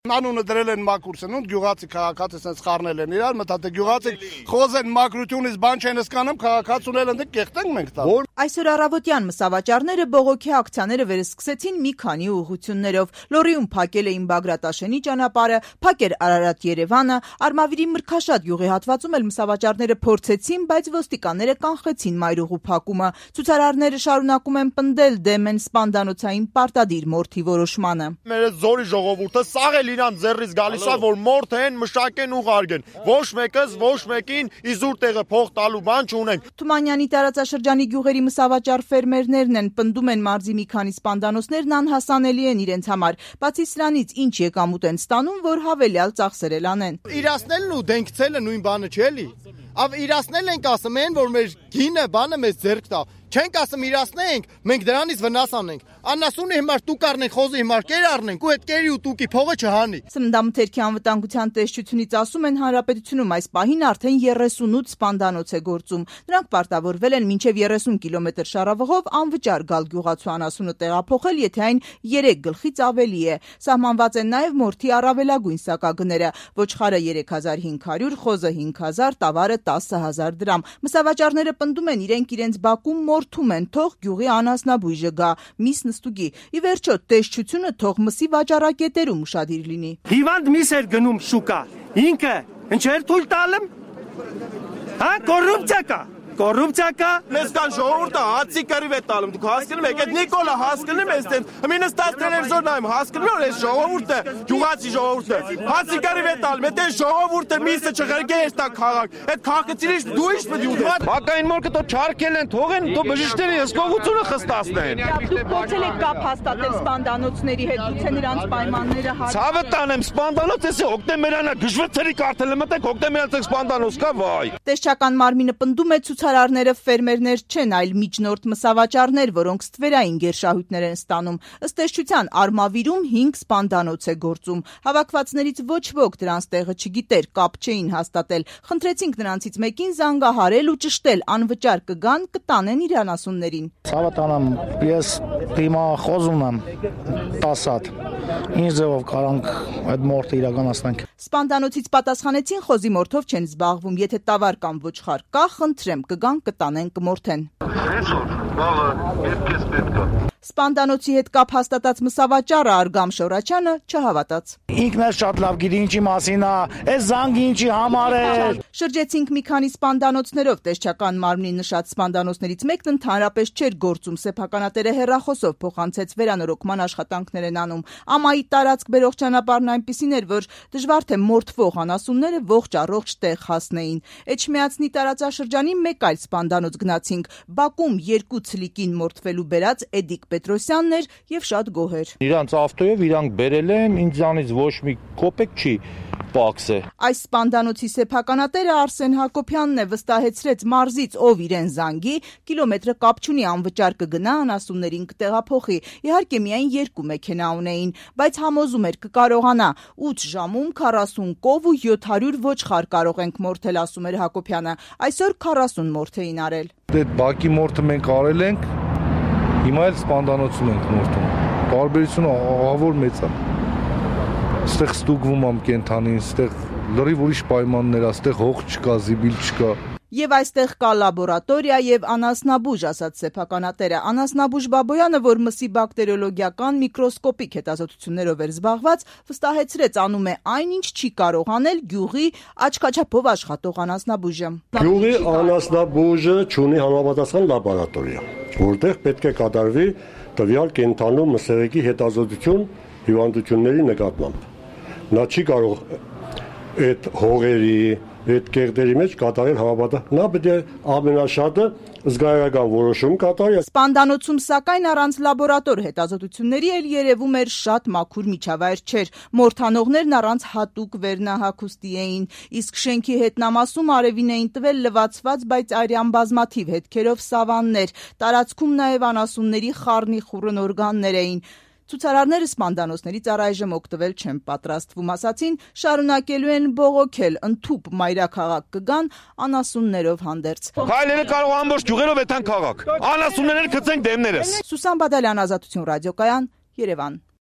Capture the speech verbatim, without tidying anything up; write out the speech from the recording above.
Անունը դրել են մաքուր սնունդ, գյուղացի քաղաքացի sense խառնել են իրար, մտածեք գյուղացի խոզեն մաքրությունից բան չեն հասկանում, քաղաքացուներ ընդ կեղտենք մենք տա։ Այսօր առավոտյան մսավաճառները բողոքի ակցիաները վերսկսեցին մի քանի ուղղություններով։ Լոռիում փակել էին Բագրատաշենի ճանապարհը, փակեր Արարատ-Երևանը, Արմավիրի Մրգաշատ յուղի հատվածում էլ մսավաճառները փորձեցին, բայց ոստիկանները կանխեցին մայրուղու փակումը։ Ցուցարարները շարունակում են պնդել դեմ են սպանդանոցային պարտադիր մորթի որոշմանը։ Մեր զորի ժողովուրդը սաղ իրան ձեռից գալիս է, որ մորթ են, մշակեն ու ղարգեն։ Ոչ մեկս, ոչ մեկին իզուր տեղը փող տալու բան չունենք։ Թումանյանի տարածաշրջանի գյուղերի մսավաճառ ֆերմերներն են, պնդում են մարզի մի քանի սպանդանոցներն անհասանելի են իրենց համար։ Բացի սրանից, ինչ եկամուտ են ստանում, որ հավելյալ ծախսերել անեն։ Իրացնելն ու դենքցելը նույն բանը չէ՞ էլի։ Ավ իրացնել ենք ասում են, որ մեր գինը բանը մեզ ձեռք տա։ Չենք ասում իրացնենք, մենք դրանից վնաս անենք։ Անասունի հիմար տուկ առնենք, խոզի հիմար կեր առնենք ու այդ կերի ու տուկի փողը չհանի։ Սննդամթերքի անվտանգության տեսչությունից ասում են Հանրապետությունում այս պահին արդեն երեսունութ սպանդանոց է գործում։ Նրանք պարտավորվել են մինչև երեսուն կիլոմետր շարավղով անվճար գալ գյուղացու անասունը տեղափոխել, եթե այն երեք գլխից ավելի է։ Սահմանված են նաև մորթի առավելագույն սակագները՝ ոչխարը երեք հազար հինգ հարյուր, խոզը հինգ հազար, տավարը տասը հազար դրամ։ Մսավաճառները պնդում են իրենք իրենց բակում մորթում են, թող գյուղի անասնաբույժը գա, միս նստուգի։ Ի վերջո տեսչությունը թող մսի վաճառակետերում ուշադիր լինի։ Հիվանդ միս էր գնում շուկա, ինքը ինչեր թույլ տալեմ։ Հա, կոռուպցիա կա։ Կոռուպցիա կա։ Մեզ կան ժողովուրդը հացի կռիվ է տալում։ Դուք հասկանում եք, այդ Նիկոլը հասկանում ես դեն։ Մինը ստաց տելևիզորն այմ հասկանում որ այս ժողովուրդը, գյուղացի ժողովուրդը հացի կռիվ է տալում։ Այդ այս ժողովուրդը միսը չղրգեր է տա քաղաք։ Այդ քաղաքացիներից դու ինչ պետք է ուտես։ Բակային մորկը դու չարկել են, թողեն դու բժիշկների հսկողությունը խստացնեն։ Դուք փորձել եք կապ հաստատել սպանդանոցների հետ, գուցե նրանց պայմանները հա։ Ցավը տանեմ սպանդանոց էսի օկտեմբերանա գժվեցրի կարտելը մտեք օկտեմբերանցեք սպանդանոց կա վայ։ Տեսչական մարմինը պնդում է ցուցարարները ֆերմերներ չեն, այլ միջնորդ մսավաճառներ, որոնք ստվերային գերշահույթներ են ստանում։ Ըստ տեսչության Արմավիրում հինգ սպանդանոց է գործում։ Հավաքվածներից ոչ ոք դրանց տեղը չգիտեր, կապ չէին հաստատել։ Խնդրեցինք նրանցից մեկին զանգահարել ու ճշտել, անվճար կգան, կտանեն իր անասուններին։ Ցավը տանեմ, ես դիմա խոզում եմ տասը հատ։ Ինչ ձևով կարանք այդ մորթը իրականացնենք։ Սպանդանոցից պատասխանեցին խոզի մորթով չեն զբաղվում, եթե տավար կամ ոչխար կա, խնդրեմ, կգան, կտանեն, կմորթեն։ Այսօր բաղը երկես պետք է։ Սպանդանոցի հետ կապ հաստատած մսավաճառը Արգամ Շորաչյանը չհավատաց։ Ինքն էլ շատ լավ գիտի ինչի մասին է, այս զանգը ինչի համար է։ Շրջեցինք մի քանի սպանդանոցներով, տեսչական մարմնի նշած սպանդանոցներից մեկն ընդհանրապես չէր գործում, սեփականատերը հեռախոսով փոխանցեց վերանորոգման աշխատանքներ են անում։ Ամայի տարածք բերող ճանապարհն այնպիսին էր, որ դժվար թե մորթվող անասունները ողջ առողջ տեղ հասնեին։ Էջմիածնի տարածաշրջանի մեկ այլ սպանդանոց գնացինք։ Բակում երկու ցլիկին մորթվելու բերած Էդիկ Պետրոսյանն էր եւ շատ գոհեր։ Իրանց ավտոյով իրանք բերել են, ինձանից ոչ մի կոպեկ չի պակս է։ Այս սպանդանոցի սեփականատերը Արսեն Հակոբյանն է, վստահեցրեց մարզից, ով իրեն զանգի, կիլոմետրը կապ չունի, անվճար կգնա, անասուններին կտեղափոխի։ Իհարկե միայն երկու մեքենա ունեին, բայց համոզում էր կկարողանա։ ութ ժամում քառասուն կով ու յոթ հարյուր ոչխար կարող ենք մորթել, ասում էր Հակոբյանը։ Այսօր քառասուն մորթ էին արել։ Այդ բակի մորթը մենք արել ենք, հիմա էլ սպանդանոցում ենք մորթում։ Տարբերությունը ահավոր մեծ է։ Ստեղ ստուգվում եմ կենթանին, ստեղ լրիվ ուրիշ պայմաններ է, ստեղ հող չկա, զիբիլ չկա։ Եվ այստեղ կա լաբորատորիա եւ անասնաբույժ, ասաց սեփականատերը։ Անասնաբույժ Բաբոյանը, որ մսի բակտերիոլոգիական միկրոսկոպիկ հետազոտություններով էր զբաղված, վստահեցրեց, անում է այնինչ չի կարող անել գյուղի աչքաչափով աշխատող անասնաբույժը։ Գյուղի անասնաբույժը ունի համապատասխան լաբորատորիա, որտեղ պետք է կատարվի տվյալ կենթանու մսեղեկի հետազոտություն հիվանդությունների նկատմամբ։ Նա չի կարող այդ հողերի, այդ կեղտերի մեջ կատարել համապատասխան։ Նա պետք է ամենաշատը զգայարական որոշում կատարի։ Սպանդանոցում սակայն առանց լաբորատոր հետազոտությունների էլ երևում էր շատ մաքուր միջավայր չէր։ Մորթանողներն առանց հատուկ վերնահագուստի էին, իսկ շենքի հետնամասում արևին էին տվել լվացված, բայց արյան բազմաթիվ հետքերով սավաններ։ Տարածքում նաև անասունների խառնի խուռն օրգաններ էին։ Ցուցարարները սպանդանոցներից առայժմ օգտվել չեն պատրաստվում, ասացին, շարունակելու են բողոքել, ընդհուպ մայրաքաղաք կգան անասուններով հանդերձ։ Քայլերը կարող ամբողջ գյուղերով էթան քաղաք։ Անասունները գցենք դեմներս։ Սուսան Բադալյան, Ազատություն ռադիոկայան, Երևան։